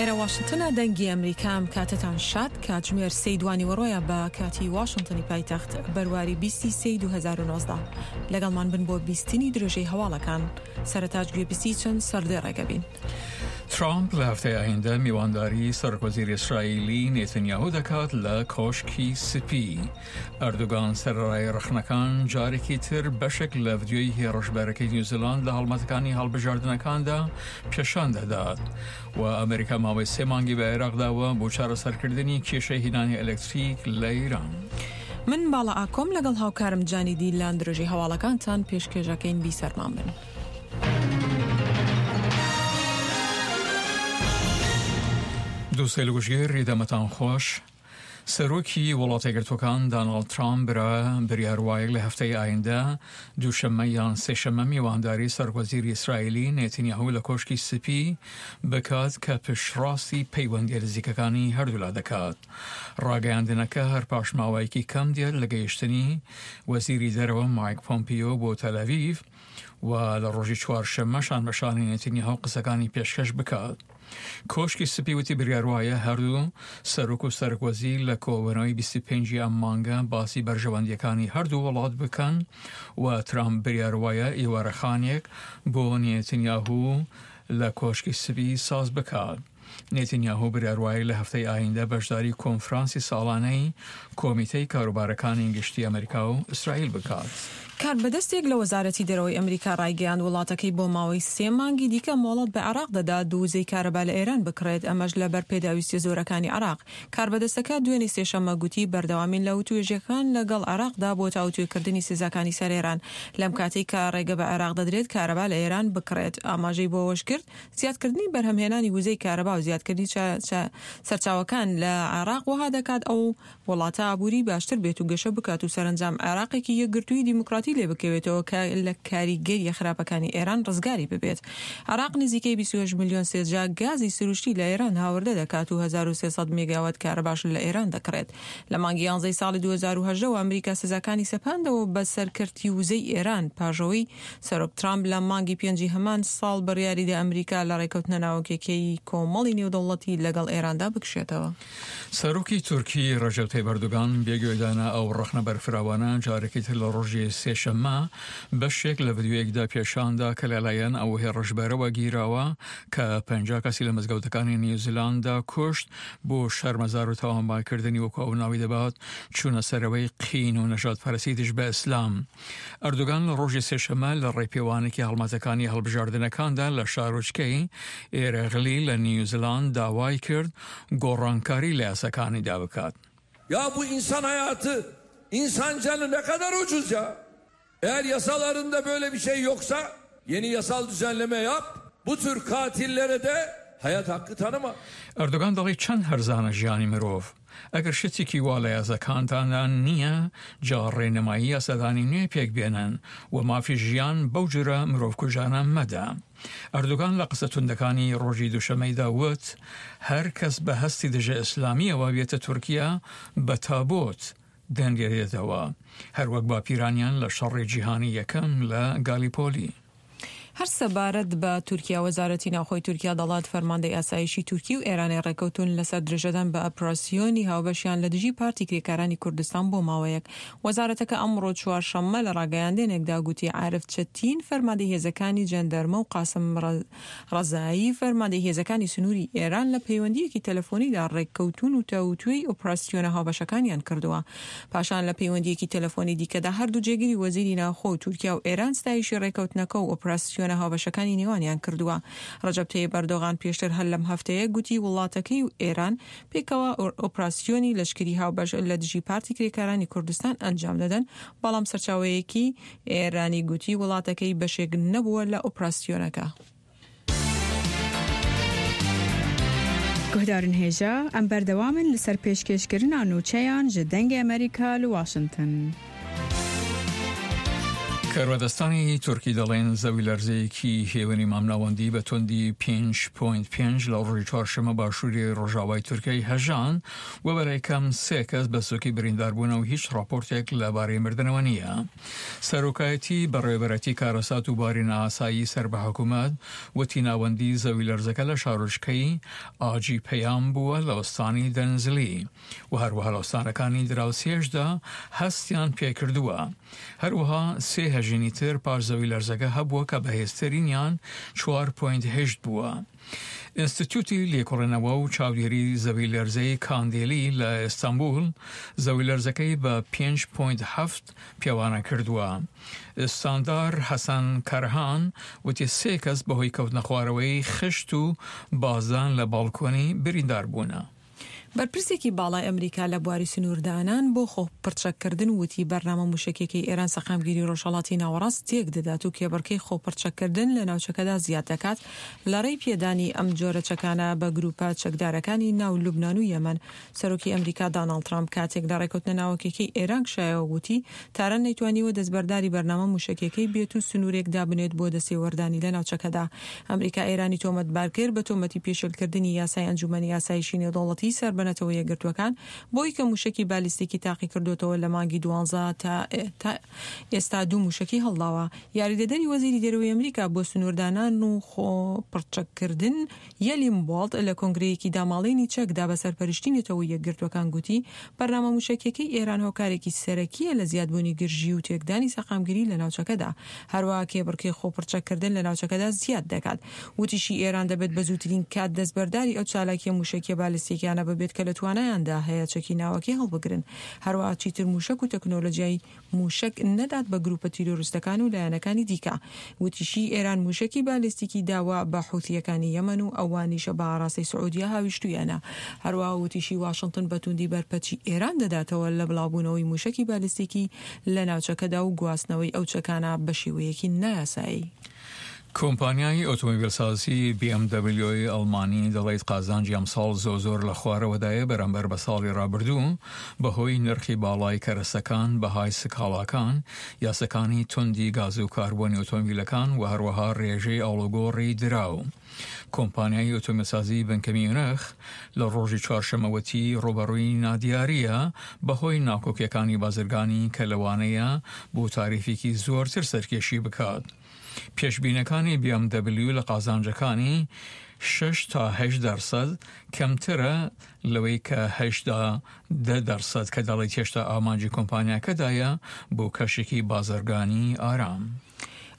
ئێرە واشنتنە دەنگی ئەمریکا ئەم کاتەتان شاد کاتژمێر سێی دوانیوەڕۆیە بە کاتی واشنتنی پایتەخت بەرواری بیستی سێی 2019 لەگەڵمان بن بۆ بیستنی درێژەی هەواڵەکان سەرەتاش گوێبیستی چەند سەردێڕێکە بین. ترامپ لە هەفتەی ئایندە میوانداری سەرۆکوەزیری ئیسرائیلی نێتنیاهو دەکات لە کۆشکی سپی. ئەردۆگان سەرەڕای ڕەخنەکان جارێکی تر بەشێک لە ڤیدیۆی هێڕشبەرەکەی نیوزیلاند لە هەڵمەتەکانی هەڵبژاردنەکاندا پێشان دەدات و ئەمریکا ماوەی سێ مانگی بە عێراق داوە بۆ چارەسەرکردنی کێشەی هینانی ئەلەکتریک لە ئیران. من باڵا ئاکۆم لەگەڵ هاوکارم جانی دیلان درێژەی هەواڵەکانتان پێشکێشەکەین بیسەرمان بن. دووسەیل گوشگیر دەمەتان خۆش. سەرۆکی وڵاتەیەکگرتووەکان داناڵد ترامپ برا بریار وایە لە هەفتەی ئایندە دووشەممە یان سێشەممە میوانداری سەرۆکوەزیری ئیسرائیلی نێتنیاهو لە کۆشکی سپی بکات کە پشتڕاستی پەیوەندیە نزیکەکانی هەردوولا دەکات. ڕاگەیاندنەکە هەر پاش ماوەیەکی کەم دێت لە گەیشتنی وەزیری دەرەوە مایک پۆمپیۆ بۆ تەلەڤیڤ و لە ڕۆژی چوارشەممە شان بە شانی نێتنیاهو قسەکانی پێشکەش بکات. کۆشکی سپی وتی بریار وایە هەردوو سەرۆک و سەرۆک وەزیر لە کۆبوونەوەی 25 ئەم مانگە باسی بەرژەوەندیەکانی هەردوو وڵات بکەن و ترامپ بریار وایە ئێوارەخانێک بۆ نێتنیاهو لە کۆشکی سپی ساز بکات. نێتنیاهو بریار وایە لە هەفتەی ئایندە بەشداری کۆنفرانسی ساڵانەی کۆمیتەی کاروبارەکانی گشتی ئەمریکا و ئیسرائیل بکات. کاربەدەستێک لە وەزارەتی دەرەوەی ئەمریکا ڕایگەیاند، وڵاتەکەی بۆ ماوەی سێ مانگی دیکە مۆڵەت بە عێراق دەدات وزەی کارەبا لە ئێران بکڕێت، ئەمەش لەبەر پێداویستیە زۆرەکانی عێراق. کاربەدەستەکە دوێنێ سێشەممە گوتی، بەردەوامین لە وتوێژەکان لەگەڵ عێراقدا بۆ تاوتوێکردنی سزاکانی سەر ئێران، لەم کاتەی کە ڕێگە بە عێراق دەدرێت کارەبا لە ئێران بکڕێت. ئاماژەی بۆ ئەوەشکرد، زیادکردنی بەرهەمهێنانی وزەی کارەبا و زیادکردنی سەرچاوەکان لە عێراق وەها دەکات ئەو وڵاتە ئابووری باشتر بێت و گەشە بکات و سەرەنجام عێراقێکی یەکگرتووی دیموکراتی لێ بکەوێتەوە کە لە کاریگەرییە خراپەکانی ئێران ڕزگاری ببێت. عێراق نزیکەی 28 ملیۆن سێجا گازی سروشتی لە ئێران هاوردە دەکات و 1300 مێگاوات کارەباش لە ئێران دەکڕێت. لە مانگی یانزەی ساڵی 2018 وە ئەمریکا سزاکانی سەپاندەوە بەسەر کەرتی وزەی ئێران پاش ئەوەی سەرۆک ترامپ لە مانگی پێنجی هەمان ساڵ بڕیاریدا ئەمریکا لە ڕێکەوتنە ناوکیەکەی کۆمەڵی نێودەوڵەتی لەگەڵ ئێراندا بکشێتەوە. سەرۆکی تورکی ڕەجەب تەیب ئەردۆگان بێ گوێدانە ئەو ڕەخنە بەرفراوانە جارێکی تر لە ڕۆژی سێشەممە بەشێک لە ڤیدیۆیەکدا پێشاندا کە لەلایەن ئەو هێڕشبەرەوە گیراوە کە 50 کەسی لە مزگەوتەکانی نیوزیلاندا کوشت بۆ شەرمەزار و تاوانبارکردنی وەکو ئەو ناوی دەبات چوونە سەرەوەی قین و نەژادپەرستی دژ بە ئیسلام. ئەردۆگان لە ڕۆژی سێشەممە لە ڕێپێوانێکی هەڵمەتەکانی هەڵبژاردنەکاندا لە شارۆچکەی ئێرەغلی لە نیوزلاند داوای کرد گۆڕانکاری لە یاساکانیدا بکات. Ya bu insan hayatı, insan canı ne kadar ucuz ya. Eğer yasalarında böyle bir şey yoksa yeni yasal düzenleme yap. Bu tür katillere de hayat hakkı tanıma. ئەردۆگان دەڵێت چەند هەرزانە ژیانی مرۆڤ؟ ئەگەر شتێکی وا لە یاساکانتاندا نییە، جا ڕێنمایی یاسادانی نوێ پێک بێنن و مافی ژیان بەو جۆرە مرۆڤکوژانە مەدە. ئەردۆگان لە قسە توندەکانی ڕۆژی دووشەممەیدا وت، هەر کەس بە هەستی دژە ئیسلامییەوە بێتە تورکیا بە تابوت دەنرێتەوە، هەروەک باپیرانیان لە شەڕی جیهانی یەکەم لە گالیپۆلی. هەر سەبارەت بە تورکیا، وەزارەتی ناوخۆی تورکیا دەڵات فەرماندەی ئاسایشی تورکی و ئێرانی ڕێکەوتوون لەسەر درێژەدان بە ئەپراسیۆنی هاوبەشیان لە دژی پارتی کرێکارانی کوردستان بۆ ماوەیەک. وەزارەتەکە ئەمڕۆ چوارشەممە لە ڕاگەیاندنێکدا گوتی عارف چەتین فەرماندەی هێزەکانی جەندەرمە و قاسم ڕەزایی فەرماندەی هێزەکانی سنووری ئێران لە پەیوەندییەکی تەلەفۆنیدا ڕێککەوتوون و تاووتوێی ئۆپراسیۆنە هاوبەشەکانیان کردووە. پاشان لە پەیوەندییەکی تەلەفۆنی دیکەدا هەردوو جێگری وەزیری ناوخۆ و تورکیا و ئێران ستایشی ڕێککەوتنەکە و ئۆپراسیۆنە هاوبەشەکانی نێوانیان کردووە. ڕەجەب تەیب ئەردۆغان پێشتر هەر لەم هەفتەیە گوتی وڵاتەکەی و ئێران پێکەوە ئۆپراسیۆنی لەشکری هاوبەش لە دژی پارتی کرێکارانی کوردستان ئەنجام دەدەن، بەڵام سەرچاوەیەکی ئێرانی گوتی وڵاتەکەی بەشێک نەبووە لە ئۆپراسیۆنەکە. Guhdarên hêja, em berdewam in li ser pêşkêşkirina nûçeyan ji Dengê Amerîka li Washington. کاربەدەستانی تورکی دەڵێن زەویلەرزەیەکی هێوەنی مامناوەندی بە توندی 5.5 لە ڕۆژی چوارشەممە باشووری ڕۆژاوای تورکیای هەژان و بەلای کەم سێ کەس بە سوکی بریندار بوونە و هیچ ڕاپۆرتێک لەبارەی مردنەوە نییە. سەرۆکایەتی بەڕێوەبەرایەتی کارەسات و باری نائاسایی سەر بە حکومەت وتی ناوەندی زەویلەرزەکە لە شارۆچکەی ئاجی پەیام بووە لە ئوستانی دەنزلی و هەروەها لە ئوستانەکانی دراوسێشدا هەستیان پێکردووە. هەروەها سێ هەژینی تر پاش زەویلەرزەکە هەبووە کە بەهێزترینیان 4.8 بووە. ئینستیتیوتی لێکۆڵینەوە و چاودێری زەویلەرزەی کاندێلی لە ئیستانبول زەویلەرزەکەی بە 5.7 پێوانە کردووە. ئیستاندار حەسەن کەرهان وتی سێ کەس بەهۆی کەوتنەخوارەوەی خشت و بازدان لە باڵکۆنی بریندار بوونە. بەرپرسێکی باڵای ئەمریکا لە بواری سنووردانان بۆ خۆپڕچەککردن وتی، بەرنامە مووشەکیەکەی ئێران سەقامگیری ڕۆژهەڵاتی ناوەڕاست تێک دەدات و کێبڕکێی خۆپڕچەککردن لە ناوچەکەدا زیاد دەکات لە ڕێی پێدانی ئەم جۆرە چەکانە بە گرووپە چەکدارەکانی ناو لوبنان و یەمەن. سەرۆکی ئەمریکا داناڵد ترامپ کاتێک لە ڕێکەوتنە ناوەکیەکەی ئێران کشایەوە وتی، تاران نەیتوانیوە دەستبەرداری بەرنامە مووشەکیەکەی بێت و سنوورێک دابنێت بۆ دەستێوەردانی لە ناوچەکەدا. ئەمریکا ئێرانی تۆمەتبار کرد بە تۆمەتی پێشێلکردنی یاسای ئەنجومەنی ئاسایشی نێودەوڵەتی سەر بە نەتەوە یەکگرتووەکان بۆی کە مووشەکی بالیستیکی تاقیکردۆتەوە لە مانگی دوانزە تا تا ئێستا دوو مووشەکی هەڵداوە. یاریدەدەری وەزیری دەرەوەی ئەمریکا بۆ سنووردانان و خۆ پڕچەککردن یەلیم بۆڵت لە کۆنگرەیەکی داماڵینی چەکدا بە سەرپەرشتی نەتەوە یەکگرتووەکان گوتی، بەرنامە مووشەکییەکەی ئێران هۆکارێکی سەرەکییە لە زیادبوونی گرژی و تێکدانی سەقامگیری لە ناوچەکەدا، هەروەها کێبڕکێی خۆپڕچەککردن لە ناوچەکەدا زیاد دەکات. وتیشی، ئێران دەبێت بە زووترین کات دەستبەرداری ئەو چالاکییە مووشەکییە بالستیکیانە ببێت کە لە توانایاندا هەیە چەکی ناوەکی هەڵبگرن، هەروەها چیتر مووشەک و تەکنۆلۆجیای مووشەک نەدات بە گرووپە تیرۆریستەکان و لایەنەکانی دیکە. وتیشی، ئێران مووشەکی بالیستیکی داوە بە حوثییەکانی یەمەن و ئەوانیش بە ئاراستەی سعودیە هاویشتوویانە. هەروەها وتیشی، واشنتن بە تووندی بەرپەرچی ئێران دەداتەوە لە بڵاوبوونەوەی مووشەکی بالیستیکی لە ناوچەکەدا و گواستنەوەی ئەو چەکانە بە شێوەیەکی نایاسایی. کۆمپانیای ئۆتۆمبیلسازی بی ئێم دەبلیۆی ئەڵمانی دەڵیت قازانجی ئەمساڵ زۆر زۆر لە خوارەوەدایە بەرامبەر بە ساڵی ڕابردوو بەهۆی نرخی باڵای کەرەسەکان، بەهای سکاڵاکان، یاسەکانی توندی گاز و کاربۆنی ئۆتۆمبیلەکان و هەروەها ڕێژەی ئاڵوگۆڕی دراو. کۆمپانیای ئۆتۆمبیلسازی بنکە میونخ لە ڕۆژی چوارشەممە وتی ڕووبەڕووی نادیارییە بەهۆی ناکۆکیەکانی بازرگانی کە لەوانەیە بۆ تاریفێکی زۆرتر سەرکێشی بکات. پێشبینەکانی بی ئێم دەبلیو لە قازانجەکانی شەش تا هەشت دەرسەد کەمترە لەوەی کە هەشتا دە دەرسەد کە دەڵێت هێشتا ئامانجی کۆمپانیاکەدایە بۆ کەشێکی بازرگانی ئارام.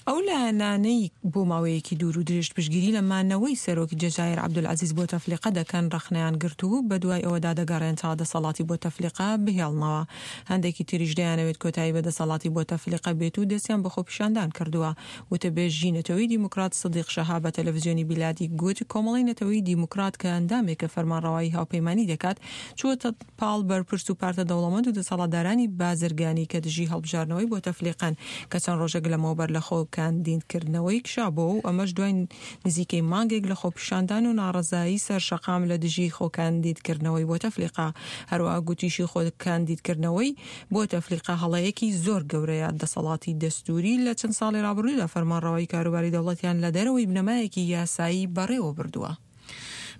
ئەو لایەنانەی بۆ ماوەیەکی دوور و درێژ پشتگیری لە مانەوەی سەرۆکی جەزائیر عەبدولعەزیز بۆتەفلیقە دەکەن ڕەخنەیان گرت و بەدوای ئەوەدا دەگەڕێن تا دەسەڵاتی بۆتەفلیقە بهێڵنەوە. هەندێکی تریش دەیانەوێت کۆتایی بە دەسەڵاتی بۆتەفلیقە بێت و دەستیان بە خۆپیشاندان کردووە. وتەبێژی نەتەوەی دیموکرات سدیق شەهاب بە تەلەفزیۆنی بیلادی گوت، کۆمەڵەی نەتەوەی دیموکرات کە ئەندامێکە فەرمانڕەوایی هاوپەیمانی دەکات، چووەتە پاڵ بەرپرس و پارتە دەوڵەمەند و دەسەڵاتدارانی بازرگانی کە دژی هەڵبژاردنەوەی بۆتەفلیقەن کە چەند ڕۆژێک لەمەوبەر لە خۆ کاندیدکردنەوەی کشابۆوە و ئەمەش دوای نزیکەی مانگێک لە خۆپیشاندان و ناڕەزایی سەر شەقام لە دژی خۆکاندیدکردنەوەی بۆتەفلیقە. هەروەها گوتیشی خۆکاندیدکردنەوەی بۆتەفلیقە هەڵەیەکی زۆر گەورەیە. دەسەڵاتی دەستووری لە چەند ساڵی ڕابردوودا فەرمانڕەوایی کاروباری دەوڵەتیان لە دەرەوەی بنەمایەکی یاسایی بەڕێوە بردووە.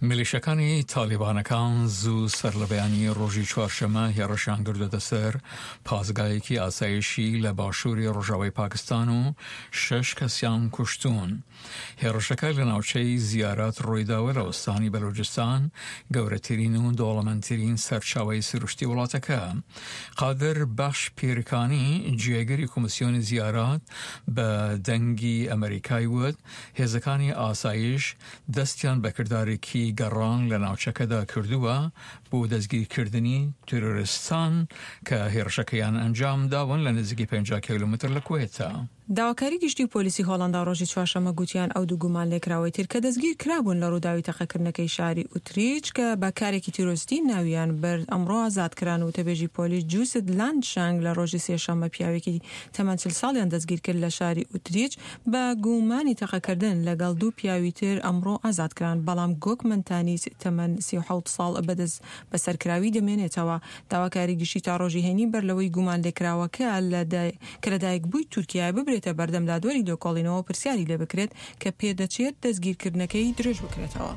میلیشەکانی تالیبانەکان زوو سەرلەبەیانی ڕۆژی چوارشەممە هێڕشیان کردووەتە سەر پاسگایەکی ئاسایشی لە باشووری ڕۆژاوای پاکستان و شەش کەسیان کوشتوون. هێڕشەکە لە ناوچەی زیارات ڕوویداوە لە ئوستانی بەلوجستان، گەورەترین و دەوڵەمەندترین سەرچاوەی سروشتی وڵاتەکە. قادر بەخش پیرکانی، جێگری کۆمیسیۆنی زیارات بە دەنگی ئەمەریکای وت، هێزەکانی ئاسایش دەستیان بە کردارێکی گەڕان لە ناوچەکەدا کردووە بۆ دەستگیرکردنی تیرۆریستان کە هێڕشەکەیان ئەنجام داون لە نزیکی 50 کیلۆمەتر لە کوێتە. داواکاری گشتی و پۆلیسی هۆڵەندا ڕۆژی چوارشەممە گوتیان ئەو دوو گومانلێکراوەی تر کە دەستگیر کرابوون لە ڕووداوی تەقەکردنەکەی شاری ئوتریچ کە بە کارێکی تیرۆریستی ناویان برد ئەمڕۆ ئازاد کران. وتەبێژی پۆلیس جوست لاندشانگ لە ڕۆژی سێشەممە پیاوێکی تەمەن 40 ساڵیان دەستگیر کرد لە شاری ئوتریچ بە گومانی تەقەکردن لەگەڵ دوو پیاوی تر ئەمڕۆ ئازاد کران، بەڵام گۆکمەن تانیس تەمەن 37 ساڵ بە دەستبەسەرکراوی دەمێنێتەوە. داواکاری گشتی تا ڕۆژی هەینی بەر لەوەی گومانلێکراوەکە کە لەدایکبووی تورکیایە ببرێتە. بخرێتە بەردەم دادوەری لێکۆڵینەوە و پرسیاری لێبکرێت کە پێدەچێت دەستگیرکردنەکەی درێژ بکرێتەوە.